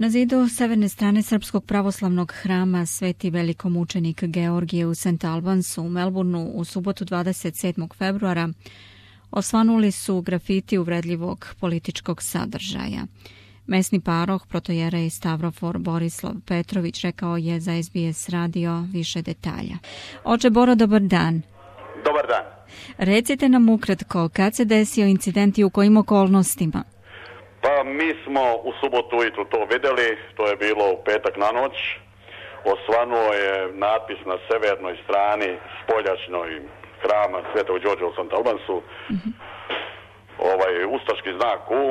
Na zidu severne strane srpskog pravoslavnog hrama Sveti velikomučenik Georgije u St. Albansu u Melbourneu u subotu 27. februara osvanuli su grafiti uvredljivog političkog sadržaja. Mesni paroh protojerej Stavrofor Borislav Petrović rekao je za SBS radio više detalja. Oče Boro, dobar dan. Dobar dan. Recite nam ukratko, kad se desio incident i u kojim okolnostima? Pa mi smo u subotu ujutru to vidjeli, to je bilo u petak na noć. Osvanuo je natpis na severnoj strani spoljačnoj hrama Svetog Đorđa u St. Albansu. Ustaški znak U,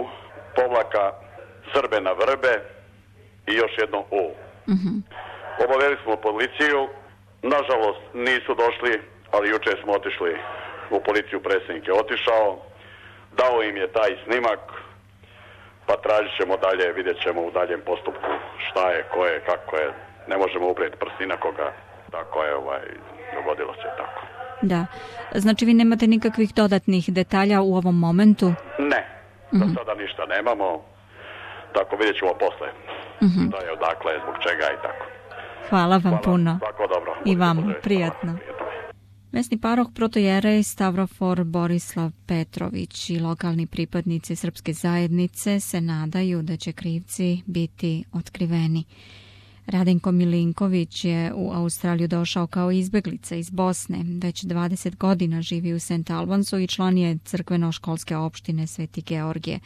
povlaka Srbe na vrbe i još jedno U. Obaveli smo policiju, nažalost nisu došli, ali jučer smo otišli u policiju, predsjednik je otišao, dao im je taj snimak, pa tražit ćemo dalje, vidjet ćemo u daljem postupku šta je, ko je, kako je. Ne možemo uprijeti prsti na koga, tako je, dogodilo se tako. Da, znači vi nemate nikakvih dodatnih detalja u ovom momentu? Ne, za sada ništa nemamo, tako vidjet ćemo posle. Da je odakle, zbog čega i tako. Hvala vam puno. Svako dobro. I vam, prijatno. Mesni paroh protojerej Stavrofor Borislav Petrović i lokalni pripadnici srpske zajednice se nadaju da će krivci biti otkriveni. Radenko Milinković je u Australiju došao kao izbeglica iz Bosne. Već 20 godina živi u St. Albansu i član je crkveno-školske opštine Sveti Georgije.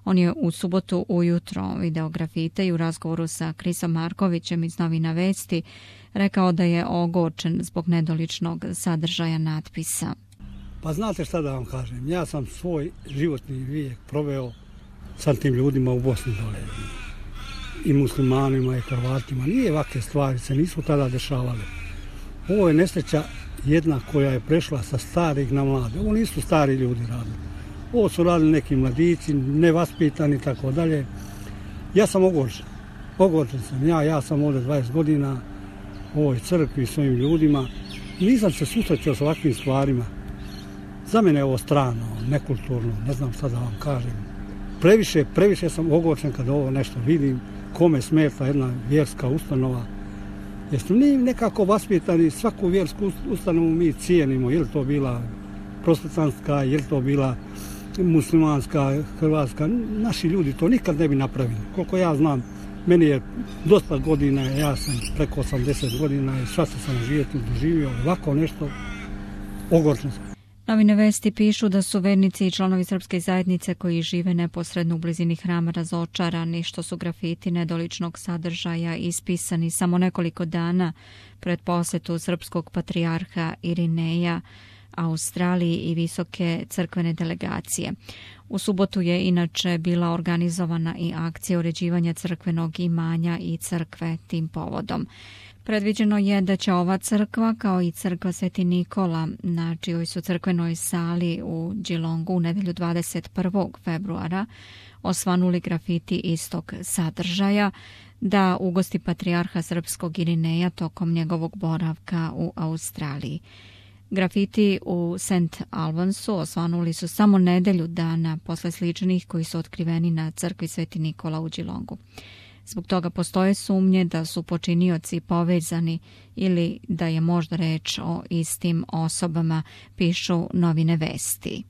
On je u subotu ujutro video grafite i u razgovoru sa Krisom Markovićem iz Novina Vesti rekao da je ogorčen zbog nedoličnog sadržaja natpisa. Pa znate šta da vam kažem, ja sam svoj životni vijek proveo sa tim ljudima u Bosni dole. I muslimanima i Hrvatima. Nije ovakve stvari se nisu tada dešavale. Ovo je nesreća jedna koja je prešla sa starih na mlade. Ovo nisu stari ljudi radili. Ovo su radili neki mladići, nevaspitani i tako dalje. Ja sam ogorčen. Ogorčen sam. Ja sam ovdje 20 godina u ovoj crkvi s ovim ljudima. Nisam se susrećao s ovakvim stvarima. Za mene je ovo strano, nekulturno, ne znam šta da vam kažem. Previše sam ogorčen kad ovo nešto vidim. Kome smeta jedna vjerska ustanova. Jer smo mi nekako vaspitani, svaku vjersku ustanovu mi cijenimo. Je li to bila protestantska, je li to bila muslimanska, hrvatska. Naši ljudi to nikad ne bi napravili. Koliko ja znam, meni je dosta godina, ja sam preko 80 godina i svašta sam doživio ovako nešto, ogorčen sam. Novine Vesti pišu da su vernici i članovi srpske zajednice koji žive neposredno u blizini hrama razočarani što su grafiti nedoličnog sadržaja ispisani samo nekoliko dana pred posjetu srpskog patrijarha Irineja Australiji i visoke crkvene delegacije. U subotu je inače bila organizovana i akcija uređivanja crkvenog imanja i crkve tim povodom. Predviđeno je da će ova crkva, kao i crkva Sveti Nikola, na čijoj su crkvenoj sali u Geelongu u nedelju 21. februara osvanuli grafiti istog sadržaja, da ugosti patrijarha srpskog Irineja tokom njegovog boravka u Australiji. Grafiti u St. Albansu osvanuli su samo nedelju dana posle sličnih koji su otkriveni na crkvi Sveti Nikola u Geelongu. Zbog toga postoje sumnje da su počinioci povezani ili da je možda reč o istim osobama, pišu Novine Vesti.